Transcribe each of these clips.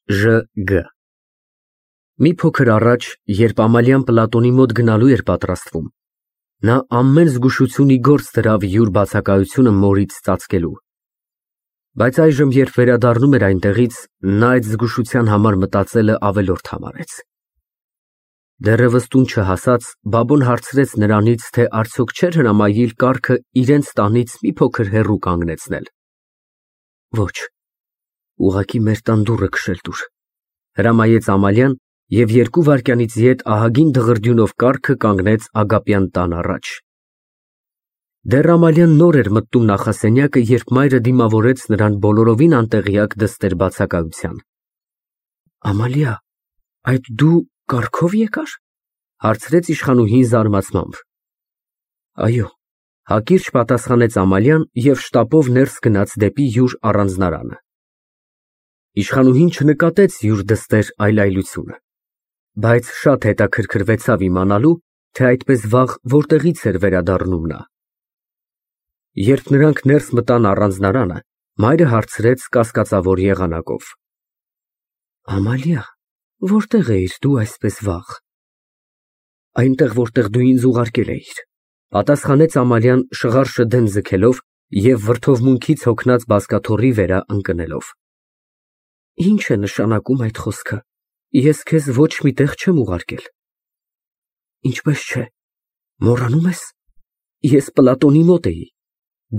Ժ.Գ. Մի փոքր առաջ, երբ Ամալիան Պլատոնի մոտ գնալու էր պատրաստվում, նա ամեն զգուշություն ի գործ դրավ յուր բացակայությունը մորից ծածկելու, բայց այժմ, երբ վերադառնում էր այնտեղից, նա այդ զգուշության համար մտածելը ավելորդ համարեց։ Դեռևս տուն չհասած, Բաբոն հարցրեց նրանից, թե արդյոք չէր հրամայիլ կառքը իրենց տանից մի փոքր հեռու կանգնեցնել։ Ոչ, ուղղակի մեր տան դուռը քշել տուր, հրամայեց Ամալիան և 2 վայրկյանից ետ ահագին դղրդյունով կառքը կանգնեց Ագապյան տան առաջ։ Դեռ Ամալիան նոր էր մտնում նախասենյակը, երբ մայրը դիմավորեց նրան բոլորովին անտեղյակ դստեր բացակայության։ Ամալիա, այդ դու կառքով եկար, հարցրեց իշխանուհին զարմացմամբ։ Այո, հակիրճ պատասխանեց Ամալիան և շտապով ներս գնաց դեպի յուր առանձնարանը։ Իշխանուհին չնկատեց յուր դստեր այլայլությունը, բայց շատ հետաքրքրվեցավ իմանալու, թե այդպես վաղ որտեղից էր վերադառնում նա։ Երբ նրանք ներս մտան առանձնարանը, մայրը հարցրեց կասկածավոր եղանակով. Ամալիա, որտեղ էիր դու այսպես վաղ։ Այնտեղ, որտեղ դու ինձ ուղարկել էիր, պատասխանեց Ամալիան շղարշը դեն ձգելով և վրդովմունքից հոգնած բազկաթոռի վերա ընկնելով։ Ինչ է նշանակում այդ խոսքը, ես քեզ ոչ մի տեղ չեմ ուղարկել։ Ինչպես չէ, մոռանում ես, ես Պլատոնի մոտ էի,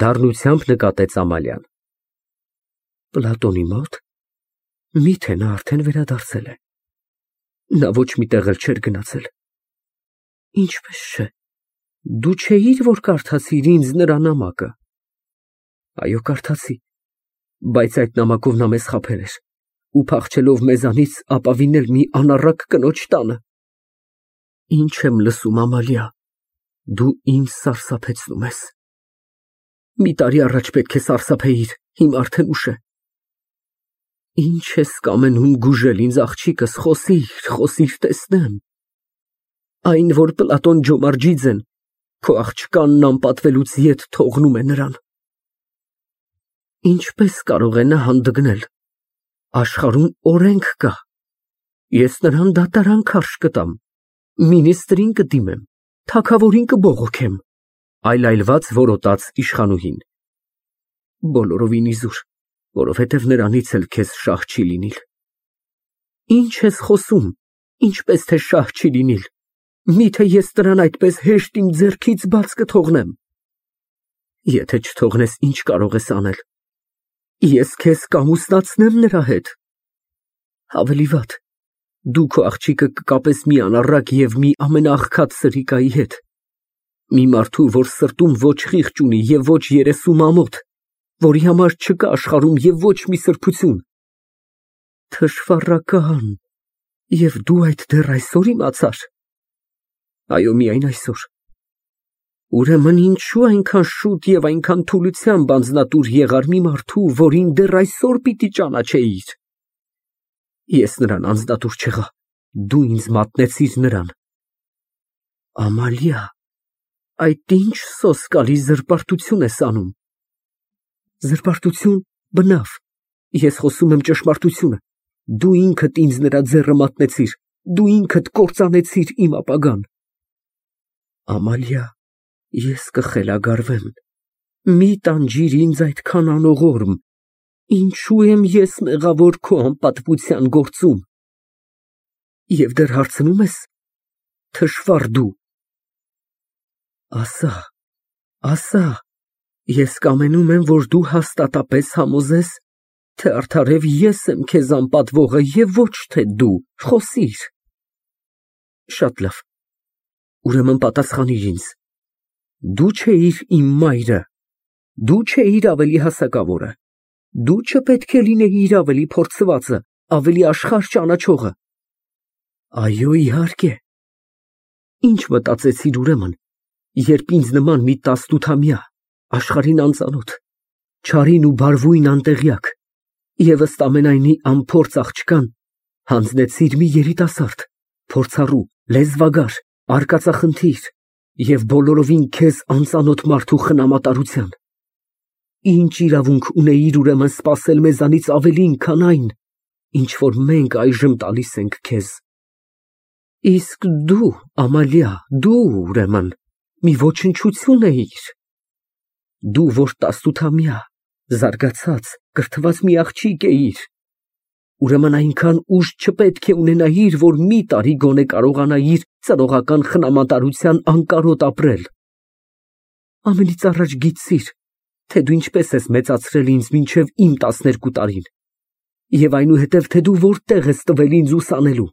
դառնությամբ նկատեց Ամալիան։ Պլատոնի մոտ։ Միթե նա արդեն վերադարձել է։ Նա ոչ մի տեղ էլ չէր գնացել։ Ինչպես չէ, դու չէիր, որ կարդացիր ինձ նրա նամակը։ Այո, կարդացի, բայց այդ նամակով նա մեզ խաբել էր ու փախչելով մեզանից ապավինել մի անառակ կնոջ տանը։ Ինչ եմ լսում, Ամալիա, դու ինձ սարսափեցնում ես։ Մի տարի առաջ պետք է սարսափեիր, հիմա արդեն ուշ է։ Ինչ ես կամենում գուժել ինձ, աղջիկս, խոսիր, տեսնեմ։ Այն, որ Պլատոն Ջոմարջիձեն քո աղջկանն անպատվելուց ետ թողնում է նրան։ Ինչպես կարող է նա հանդգնել։ Աշխարհում օրենք կա։ Ես նրան դատարան քարշ կտամ, մինիստրին կդիմեմ, թագավորին կբողոքեմ, այլայլված որոտաց իշխանուհին։ Բոլորովին իզուր, որովհետև նրանից էլ քեզ շահ չի լինիլ։ Ինչ ես խոսում, ինչպես թե շահ չի լինիլ։ Միթե ես նրան այդպես հեշտ իմ ձեռքից բաց կթողնեմ։ Եթե չթողնես, ինչ կարող ես անել։ Ես քեզ կամուսնացնեմ նրա հետ։ Ավելի վատ, դու քո աղջիկը կկապես մի անառակ և մի ամենաաղքատ սրիկայի հետ։ Մի մարդու, որ սրտում ոչ խիղճ ունի և ոչ երեսու մամոթ, որի համար չկա աշխարհում և ոչ մի սրբություն։ Թշվառական, և դու այդ դեռ այսօր իմացար։ Այո, միայն այսօր։ Ուրեմն ինչու այնքան շուտ և այնքան թուլությամբ անձնատուր եղար մի մարդու, որին դեռ այսօր պիտի ճանաչեիր։ Ես նրան անձնատուր չեղա, դու ինձ մատնեցիր նրան։ Ամալիա, այդ ինչ սոսկալի զրպարտություն ես անում։ Զրպարտություն, բնավ, ես խոսում եմ ճշմարտությունը։ Դու ինքդ ինձ նրա ձեռը մատնեցիր, դու ինքդ կործանեցիր իմ ապագան։ Ամալիա, ես կխելագարվեմ, մի տանջիր ինձ այդքան անողորմ, ինչու եմ ես մեղավոր քո անպատվության գործում։ Եվ դեռ հարցնում ես, թշվառ դու։ Ասա, ես կամենում եմ, որ դու հաստատապես համոզես, թե արդարև ես եմ քեզ անպատվողը և ոչ թե դու, խոսիր։ Շատ լավ, ուրեմն պատասխանիր ինձ։ Դու չէիր իմ մայրը, դու չէիր ավելի հասակավորը, դու չպետք է լինեիր ավելի փորձվածը, ավելի աշխարհ ճանաչողը։ Այո, իհարկե։ Ինչ մտածեցիր ուրեմն, երբ ինձ նման մի 18-ամյա, աշխարհին անծանոթ, չարին ու բարվույն անտեղյակ և ըստ ամենայնի անփորձ աղջկան հանձնեցիր մի երիտասարդ, փորձառու, լեզվագար, արկածախնդիր և բոլորովին քեզ անծանոթ մարդու խնամատարության։ Ինչ իրավունք ունեիր ուրեմն սպասել մեզանից ավելին, քան այն, ինչ որ մենք այժմ տալիս ենք քեզ։ Իսկ դու, Ամալիա, դու, ուրեմն, մի ոչնչություն էիր։ Դու, որ 18-ամյա, զարգացած, կրթված մի աղջիկ էիր, ուրեմն այնքան ուժ չպետք է ունենայիր, որ մի տարի գոնե կարողանայիր ծնողական խնամատարության անկարոտ ապրել։ Ամենից առաջ գիտիր, թե դու ինչպես ես մեծացրել ինձ մինչև իմ 12 տարին, և այնուհետև թե դու որտեղ ես տվել ինձ ուսանելու։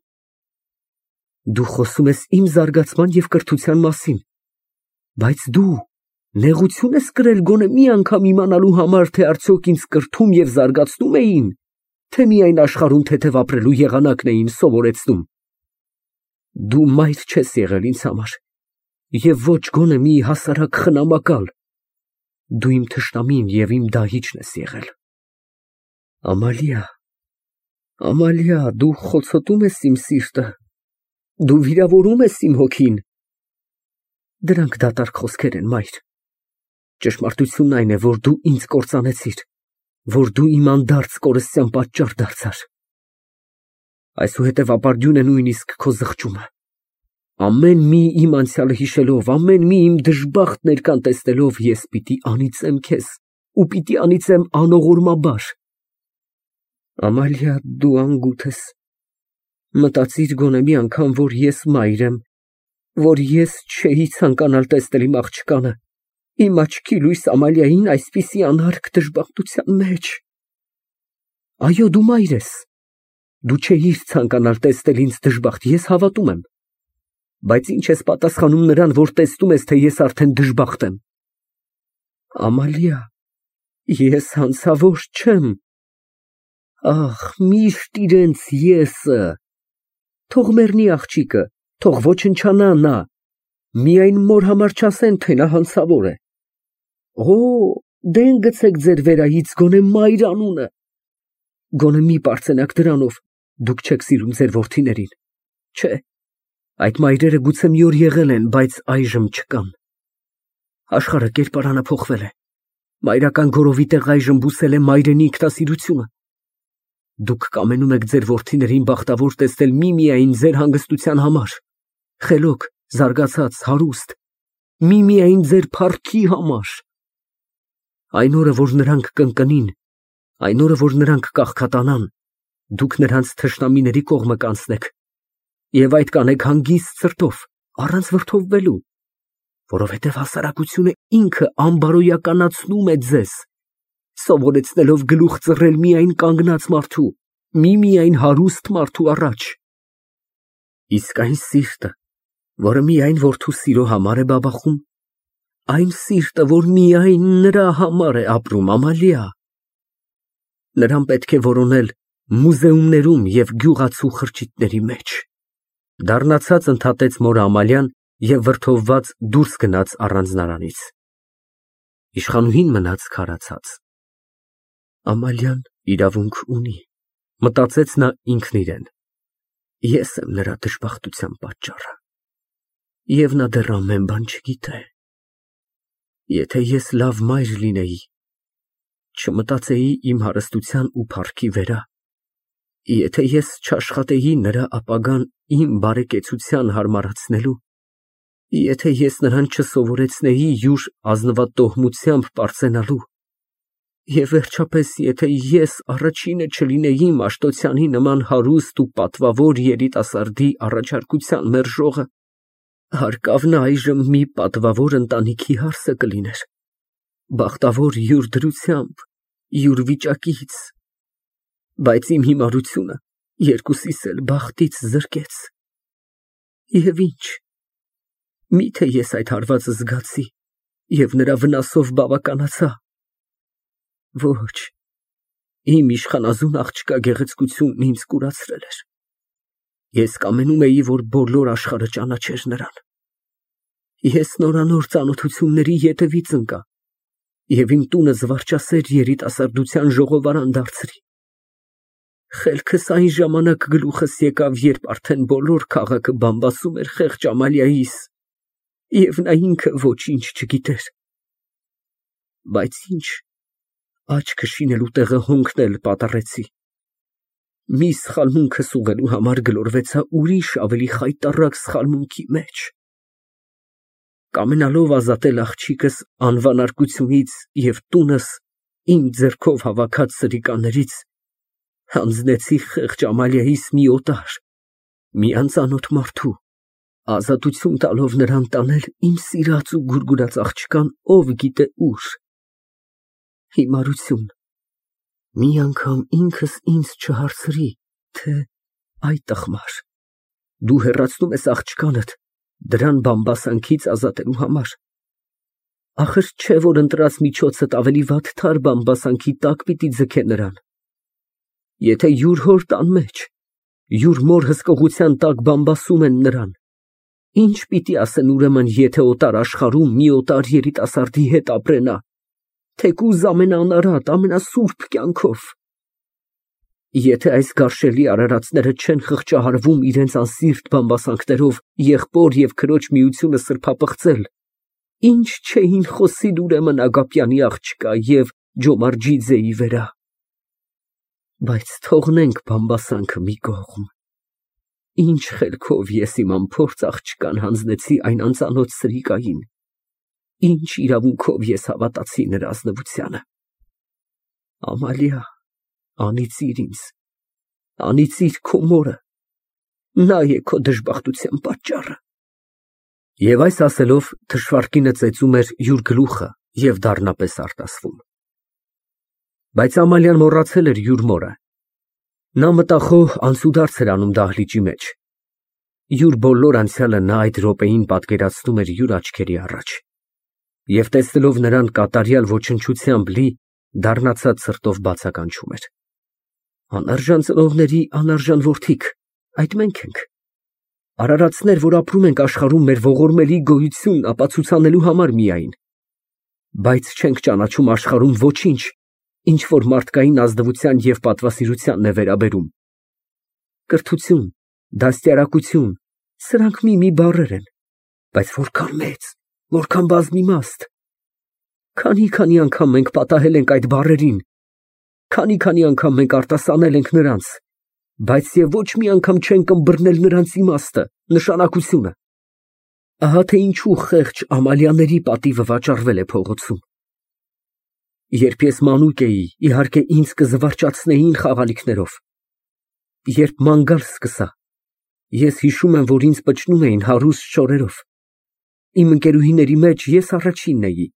Դու խոսում ես իմ զարգացման և կրթության մասին, բայց դու նեղություն ես կրել գոնե մի անգամ իմանալու համար, թե արդյոք ինձ կրթում և զարգացնում էին, թե միայն աշխարհում թեթև ապրելու եղանակն էին սովորեցնում։ Դու մայր չես եղել ինձ համար, և ոչ գոնե մի հասարակ խնամակալ։ Դու իմ թշնամին և իմ դահիճն ես եղել։ Ամալիա, Ամալիա, դու խոցոտում ես իմ սիրտը, դու վիրավորում ես իմ հոգին։ Դրանք դատարկ խոսքեր են, մայր։ Ճշմարտությունն այն է, որ դու ինձ կործանեցիր, որ դու իմ անդարձ կորստյան պատճառ դարձար։ Այսուհետև ապարդյուն է նույնիսկ քո զղջումը։ Ամեն մի իմ անցյալը հիշելով, ամեն մի իմ դժբախտ ներկան տեսնելով, ես պիտի անիծեմ քեզ ու պիտի անիծեմ անողորմաբար։ Ամալիա, դու անգութ ես։ Մտածիր գոնե մի անգամ, որ ես մայր եմ, որ ես չէի ցանկանալ տեսնել իմ աղջկանը, իմ աչքի լույս Ամալիային այսպիսի անհարգ դժբախտության մեջ։ Այո, դու մայր ես։ Դու չէիր ցանկանալ տեսնել ինձ դժբախտ, ես հավատում եմ։ Բայց ինչ ես պատասխանում նրան, որ տեսնում ես, թե ես արդեն դժբախտ եմ։ Ամալիա, ես հանցավոր չեմ։ Ախ, միշտ իրենց եսը։ Թող մեռնի աղջիկը, թող ոչնչանա նա, միայն մոր համար չասեն, թե նա հանցավոր է։ Օ, դեն գցեք ձեր վերայից գոնե մայր անունը։ Գոնե մի պարծենաք դրանով, դուք չեք սիրում ձեր որդիներին։ Չէ, այդ մայրերը գուցե մի օր եղել են, բայց այժմ չկան։ Աշխարհը կերպարանը փոխվել է։ Մայրական գորովի տեղ այժմ բուսել է մայրենի ինքնասիրությունը։ Դուք կամենում եք ձեր որդիներին բախտավոր տեսնել միմիայն ձեր հանգստության համար, խելոք, զարգացած, հարուստ, միմիայն ձեր փառքի համար։ Այն օրը, որ նրանք կընկնին, այն օրը, որ նրանք կաղքատանան, դուք նրանց թշնամիների կողմը կանցնեք և այդ կանեք հանգիստ սրտով, առանց վրդովվելու, որովհետև հասարակությունը ինքը անբարոյականացնում է ձեզ, սովորեցնելով գլուխ ծռել միայն կանգնած մարդու, միմիայն հարուստ մարդու առաջ։ Իսկ այն սիրտը, որը միայն որդու սիրո համար է բաբախում, այն սիրտը, որ միայն նրա համար է ապրում, Ամալիա, նրան պետք է որոնել մուզեումներում և գյուղացու խրճիթների մեջ։ Դառնացած ընդհատեց մորը Ամալիան և վրդովված դուրս գնաց առանձնարանից։ Իշխանուհին մնաց քարացած։ Ամալիան իրավունք ունի, մտածեց նա ինքն իրեն։ Ես եմ նրա դժբախտության պատճառը։ Եվ նա դեռ ամեն բան չգիտե։ Եթե ես լավ մայր լինեի, չմտածեի իմ հարստության ու փառքի վերա, եթե ես չաշխատեի նրա ապագան իմ բարեկեցության հարմարացնելու, եթե ես նրան չսովորեցնեի յուր ազնվատոհմությամբ պարծենալու, և վերջապես, եթե ես առաջինը չլինեի Մաշտոցյանի նման հարուստ ու պատվավոր երիտասարդի առաջարկության մերժողը, հարկավ նա այժմ մի պատվավոր ընտանիքի հարսը կլիներ, բախտավոր յուր դրությամբ, յուր վիճակից, բայց իմ հիմարությունը երկուսիս էլ բախտից զրկեց։ Եվ ինչ, միթե ես այդ հարվածը զգացի և նրա վնասով բավականացա։ Ոչ, իմ իշխանազուն աղջկա գեղեցկությունն ինձ կուրացրել էր։ Ես կամենում էի, որ բոլոր աշխարհը ճանաչեր նրան։ Ես նորանոր ծանոթությունների ետևից ընկա և իմ տունը զվարճասեր երիտասարդության ժողովարան դարձրի։ Խելքս այն ժամանակ գլուխս եկավ, երբ արդեն բոլոր քաղաքը բամբասում էր խեղճ Ամալիայիս, և նա ինքը ոչինչ չգիտեր։ Բայց ինչ, աչքը շինելու տեղը հոնքն էլ պատառեցի։ մի սխալմունքս ուղղելու համար գլորվեցա ուրիշ ավելի խայտառակ սխալմունքի մեջ։ Կամենալով ազատել աղջիկս անվանարկությունից և տունս իմ ձեռքով հավաքած սրիկաներից, հանձնեցի խեղճ Ամալիայիս մի օտար, մի անծանոթ մարդու, ազատություն տալով նրան տանել իմ սիրած ու գուրգուրած աղջկան ով գիտե ուր։ Հիմարություն, մի անգամ ինքս ինձ չհարցրի, թե այ տխմար, դու հեռացնում ես աղջկանդ դրան բամբասանքից ազատելու համար, ախր չէ որ ընտրած միջոցդ ավելի վատթար բամբասանքի տակ պիտի ձգե նրան, եթե յուր հոր տան մեջ, յուր մոր հսկողության տակ բամբասում են նրան, ինչ պիտի ասեն ուրեմն, եթե օտար աշխարհում մի օտար երիտասարդի հետ ապրենա, թեկուզ ամենաանարատ, ամենասուրբ կյանքով։ Եթե այս գարշելի արարածները չեն խղճահարվում իրենց անսիրտ բամբասանքներով եղբոր և քրոջ միությունը սրբապղծել, ինչ չէին խոսիլ ուրեմն Ագապյանի աղջկա և Ջոմարջիձեի վերա։ Բայց թողնենք բամբասանքը մի կողմ, ինչ խելքով ես իմ անփորձ աղջկան հանձնեցի այն անծանոթ սրիկային, ինչ իրավունքով ես հավատացի նրա ազնվությանը։ Ամալիա, անիծիր ինձ, անիծիր քո մորը, նա է քո դժբախտության պատճառը։ Եվ այս ասելով թշվառկինը ծեծում էր յուր գլուխը և դառնապես արտասվում։ Բայց Ամալիան մոռացել էր յուր մորը։ Նա մտախոհ անցուդարձ էր անում դահլիճի մեջ։ Յուր բոլոր անցյալը նա այդ րոպեին պատկերացնում էր յուր աչքերի առաջ և տեսնելով նրան կատարյալ ոչնչությամբ լի, դառնացած սրտով բացականչում էր. անարժան ծնողների անարժան որդիկ, այդ մենք ենք, արարածներ, որ ապրում ենք աշխարհում մեր ողորմելի գոյությունն ապացուցանելու համար միայն, բայց չենք ճանաչում աշխարհում ոչինչ, ինչ որ մարդկային ազնվության և պատվասիրությանն է վերաբերում։ Կրթություն, դաստիարակություն, սրանք մի բառեր են, բայց որքան մեծ, որքան բազմիմաստ։ Քանի անգամ մենք պատահել ենք այդ բառերին, քանի անգամ մենք արտասանել ենք նրանց, բայց և ոչ մի անգամ չենք ըմբռնել նրանց իմաստը, նշանակությունը։ Ահա թե ինչու խեղճ Ամալիաների պատիվը վաճառվել է փողոցում։ Երբ ես մանուկ էի, իհարկե ինձ կզվարճացնեին խաղալիքներով։ Երբ ման գալ սկսա, ես հիշում եմ, որ ինձ պչնում էին հարուստ շորերով։ Իմ ընկերուհիների մեջ ես առաջինն էի։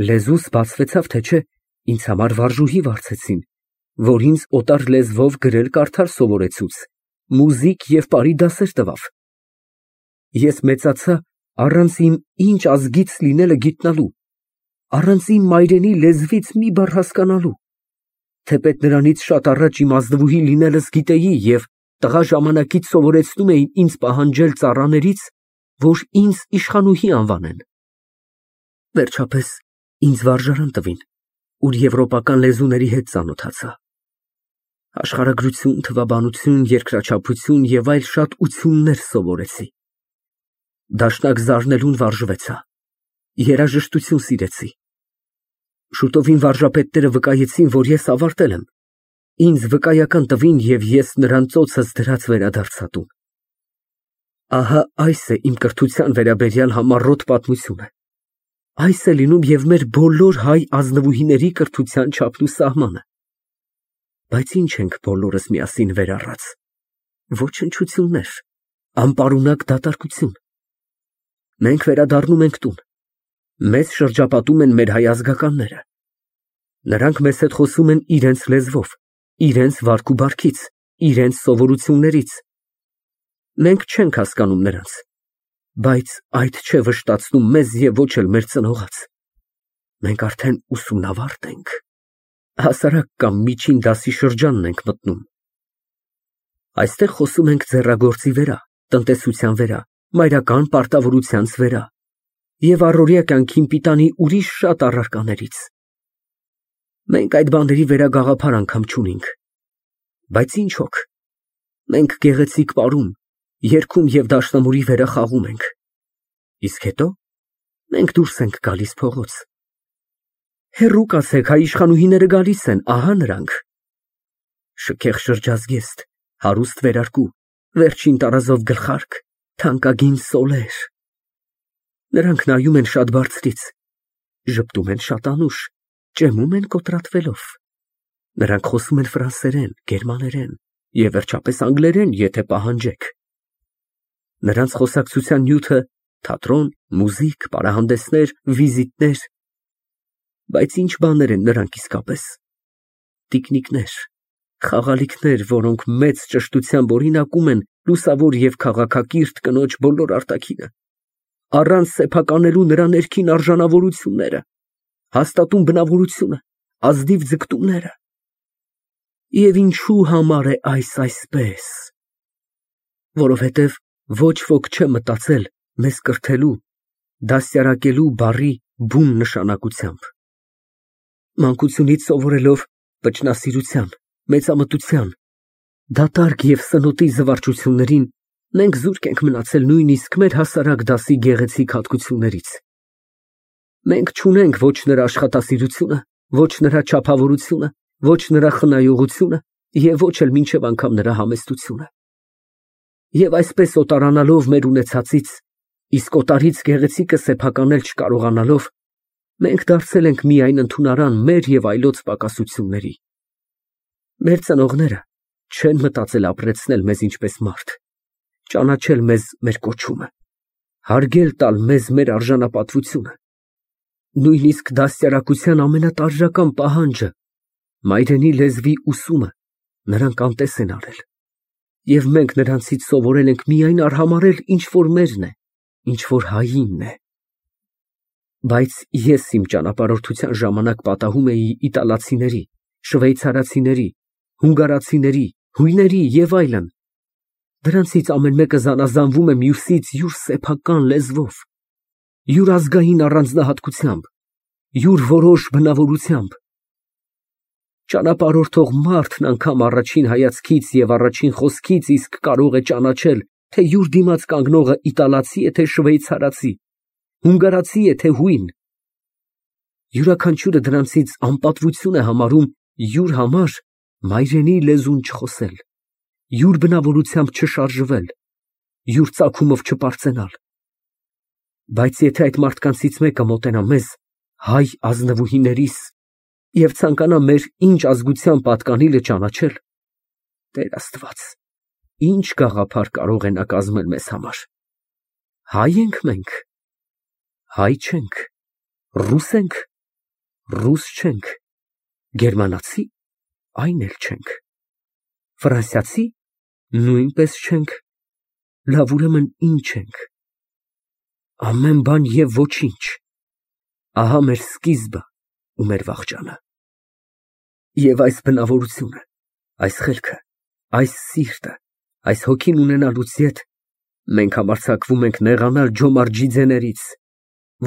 Լեզուս բացվեցավ, թե չէ, ինձ համար վարժուհի վարձեցին, որ ինձ օտար լեզվով գրել֊կարդալ սովորեցուց, մուզիկ և պարի դասեր տվավ։ Ես մեծացա առանց իմ ինչ ազգից լինելը գիտնալու, առանց իմ մայրենի լեզվից մի բառ հասկանալու, թեպետ նրանից շատ առաջ իմ ազնվուհի լինելս գիտեի և տղա ժամանակից սովորեցնում էին ինձ պահանջել ծառաներից, որ ինձ իշխանուհի անվանեն։ Վերջապես ինձ վարժարան տվին, ուր եվրոպական լեզուների հետ ծանոթացա։ Աշխարհագրություն, թվաբանություն, երկրաչափություն և այլ շատ ություններ սովորեցի։ Դաշնակ զարնելուն վարժվեցա, երաժշտություն սիրեցի։ Շուտովին վարժապետները վկայեցին, որ ես ավարտել եմ, ինձ վկայական տվին և ես նրան ծոցս դրած վերադարձա տուն։ Ահա այս է իմ կրթության վերաբերյալ համառոտ պատմությունը, այս է լինում և մեր բոլոր հայ ազնվուհիների կրթության չափն ու սահմանը։ Բայց ինչ ենք բոլորս միասին վերառած, ոչնչություններ, անպարունակ դատարկություն։ Մենք վերադառնում ենք տուն, մեզ շրջապատում են մեր հայ ազգականները։ Նրանք մեզ հետ խոսում են իրենց լեզվով, իրենց վարք ու բարքից, իրենց սովորություններից։ Մենք չենք հասկանում նրանց, բայց այդ չէ վշտացնում մեզ և ոչ էլ մեր ծնողաց։ Մենք արդեն ուսումնավարտ ենք, հասարակ կամ միջին դասի շրջանն ենք մտնում։ Այստեղ խոսում ենք ձեռագործի վերա, տնտեսության վերա, մայրական պարտավորությանց վերա և առօրյա կյանքին պիտանի ուրիշ շատ առարկաներից։ Մենք այդ բաների վերա գաղափար անգամ չունենք, բայց ինչ հոգ, մենք գեղեցիկ պարում, երգում և դաշնամուրի վերա խաղում ենք, իսկ հետո մենք դուրս ենք գալիս փողոց։ Հեռու կացեք, հայ իշխանուհիները գալիս են, ահա նրանք։ Շքեղ շրջազգեստ, հարուստ վերարկու, վերջին տարազով գլխարկ, թանկագին սոլեր։ Նրանք նայում են շատ բարձրից, ժպտում են շատ անուշ, ճեմում են կոտրատվելով։ Նրանք խոսում են ֆրանսերեն, գերմաներեն և վերջապես անգլերեն, եթե պահանջեք։ Նրանց խոսակցության նյութը թատրոն, մուզիկ, պարահանդեսներ, վիզիտներ։ Բայց ինչ բաներ են նրանք իսկապես։ Տիկնիկներ, խաղալիքներ, որոնք մեծ ճշտությամբ օրինակում են լուսավոր և քաղաքակիրթ կնոջ բոլոր արտաքինը, առանց սեփականելու նրա ներքին արժանավորությունները, հաստատուն բնավորությունը, ազնիվ ձգտումները։ Եվ ինչու համար է այսպես։ Որովհետև ոչ ոք չէ մտածել մեզ կրթելու, դաստիարակելու բառի բուն նշանակությամբ։ Մանկությունից սովորելով վճնասիրության, մեծամտության, դատարկ և սնոտի զվարճություններին, մենք զուրկ ենք մնացել նույնիսկ մեր հասարակ դասի գեղեցիկ հատկություններից։ Մենք չունենք ոչ նրա աշխատասիրությունը, ոչ նրա չափավորությունը, ոչ նրա խնայողությունը և ոչ էլ մինչև անգամ նրա համեստությունը։ Եվ այսպես օտարանալով մեր ունեցածից, իսկ օտարից գեղեցիկը սեփականել չկարողանալով, մենք դարձել ենք միայն ընդունարան մեր և այլոց պակասությունների։ Մեր ծնողները չեն մտածել ապրեցնել մեզ ինչպես մարդ, ճանաչել մեզ մեր կոչումը, հարգել տալ մեզ մեր արժանապատվությունը, նույնիսկ դաստիարակության ամենատարրական պահանջը, մայրենի լեզվի ուսումը, նրանք անտես են արել, և մենք նրանցից սովորել ենք միայն արհամարհել ինչ որ մերն է, ինչ որ հայինն է։ Բայց ես իմ ճանապարհորդության ժամանակ պատահում էի իտալացիների, շվեյցարացիների, հունգարացիների, հույների և այլն։ Դրանցից ամեն մեկը զանազանվում է մյուսից յուր սեփական լեզվով, յուր ազգային առանձնահատկությամբ, յուր որոշ բնավորությամբ։ Ճանապարհորդող մարդն անգամ առաջին հայացքից և առաջին խոսքից իսկ կարող է ճանաչել, թե յուր դիմաց կանգնողը իտալացի է, թե շվեյցարացի, հունգարացի է, թե հույն։ Յուրաքանչյուրը դրանցից անպատվություն է համարում յուր համար մայրենի լեզուն չխոսել, յուր բնավորությամբ չշարժվել, յուր ծագումով չպարծենալ։ Բայց եթե այդ մարդկանցից մեկը մոտենա մեզ, հայ ազնվուհիներիս, և ցանկանա մեր ինչ ազգության պատկանիլը ճանաչել, Տեր Աստված, ինչ գաղափար կարող է նա կազմել մեզ համար։ Հայ ենք մենք, հայ չենք, ռուս ենք, ռուս չենք, գերմանացի, այն էլ չենք, ֆրանսիացի, նույնպես չենք, լավ, ուրեմն ինչ ենք։ Ամեն բան և ոչինչ։ Ահա մեր սկիզբը ու մեր վախճանը։ Եվ այս բնավորությունը, այս խելքը, այս սիրտը, այս հոգին ունենալուց ետ մենք համարձակվում ենք նեղանալ ջոմարջիձեներից,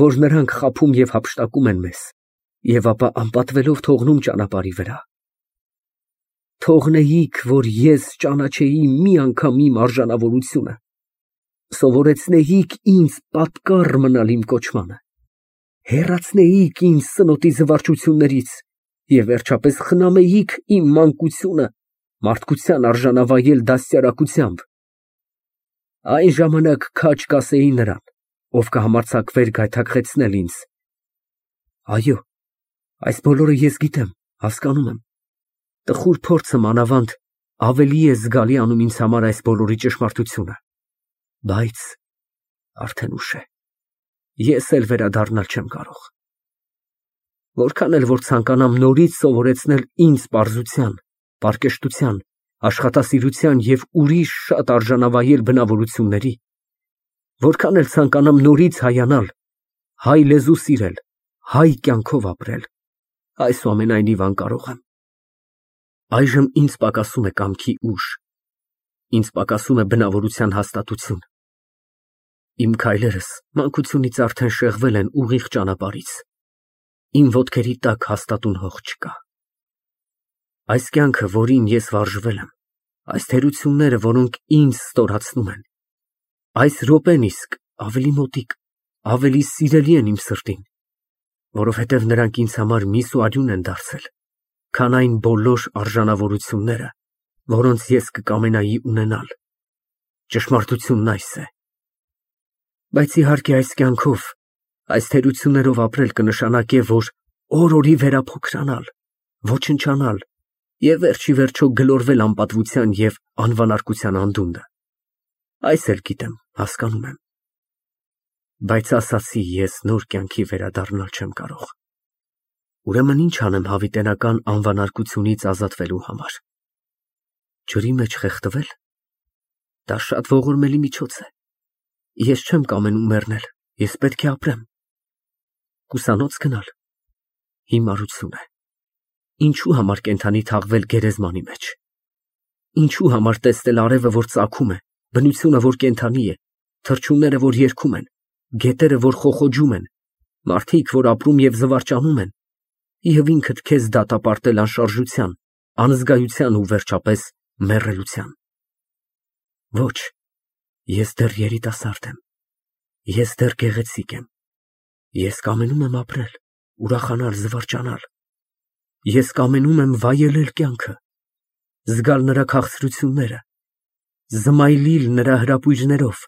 որ նրանք խաբում և հափշտակում են մեզ, և ապա անպատվելով թողնում ճանապարհի վրա։ Թողնեիք, որ ես ճանաչեի մի անգամ իմ արժանավորությունը, սովորեցնեիք ինձ պատկառ մնալ իմ կոչմանը, հեռացնեիք ինձ սնոտի զվարճություններից և վերջապես խնամեիք իմ մանկությունը մարդկության արժանավայել դաստիարակությամբ։ Այն ժամանակ քաջ կասեի նրան, ով կհամարձակվեր գայթակղեցնել ինձ. այո, այս բոլորը ես գիտեմ, հասկանում եմ, տխուր փորձը մանավանդ ավելի է զգալի անում ինձ համար այս բոլորի ճշմարտությունը, բայց արդեն ուշ է, ես էլ վերադառնալ չեմ կարող։ Որքան էլ որ ցանկանամ նորից սովորեցնել ինձ պարզության, պարկեշտության, աշխատասիրության և ուրիշ շատ արժանավայել բնավորությունների, որքան էլ ցանկանամ նորից հայանալ, հայ լեզու սիրել, հայ կյանքով ապրել, այսուամենայնիվ անկարող եմ։ Այժմ ինձ պակասում է կամքի ուժ, ինձ պակասում է բնավորության հաստատություն։ Իմ քայլերս մանկությունից արդեն շեղվել են ուղիղ ճանապարհից, իմ ոտքերի տակ հաստատուն հող չկա։ Այս կյանքը, որին ես վարժվել եմ, այս թերությունները, որոնք ինձ ստորացնում են, այս րոպեն իսկ ավելի մոտիկ, ավելի սիրելի են իմ սրտին, որովհետև նրանք ինձ համար միս ու արյուն են դարձել, քան այն բոլոր արժանավորությունները, որոնց ես կկամենայի ունենալ։ Ճշմարտությունն այս է։ Բայց իհարկե այս կյանքով, այս թերություններով ապրել կնշանակե, որ օր-օրի վերափոքրանալ, ոչնչանալ և վերջ ի վերջո գլորվել անպատվության և անվանարկության անդունդը։ Այս էլ գիտեմ, հասկանում եմ։ Բայց ասացի, ես նոր կյանքի վերադառնալ չեմ կարող։ Ուրեմն ինչ անեմ հավիտենական անվանարկությունից ազատվելու համար։ Ջրի մեջ խեղդվել։ Դա շատ ողորմելի միջոց է։ Ես չեմ կամենում մեռնել, ես պետք է ապրեմ։ Ուսանո՞ց գնալ։ Հիմարություն է։ Ինչու համար կենդանի թաղվել գերեզմանի մեջ։ Ինչու համար տեսնել արևը, որ ծագում է, բնությունը, որ կենդանի է, թռչունները, որ երգում են, գետերը, որ խոխոջում են, մարդիկ, որ ապրում և զվարճանում են, և ինքդ քեզ դատապարտել անշարժության, անզգայության ու վերջապես մեռելության։ Ոչ, ես դեռ երիտասարդ եմ, ես դեռ գեղեցիկ եմ, ես կամենում եմ ապրել, ուրախանալ, զվարճանալ, ես կամենում եմ վայելել կյանքը, զգալ նրա քաղցրությունները, զմայլիլ նրա հրապույրներով,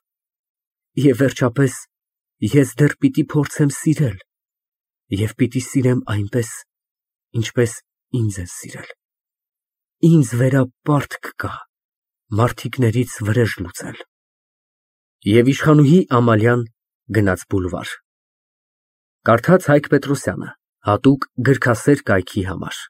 և վերջապես ես դեռ պիտի փորձեմ սիրել և պիտի սիրեմ այնպես, ինչպես ինձ են սիրել։ Ինձ վերա պարտք կա մարդիկներից վրեժ լուծել։ Եվ իշխանուհի Ամալյան գնաց բուլվար։ Կարդաց Հայկ Պետրոսյանը, հատուկ գրքասեր կայքի համար։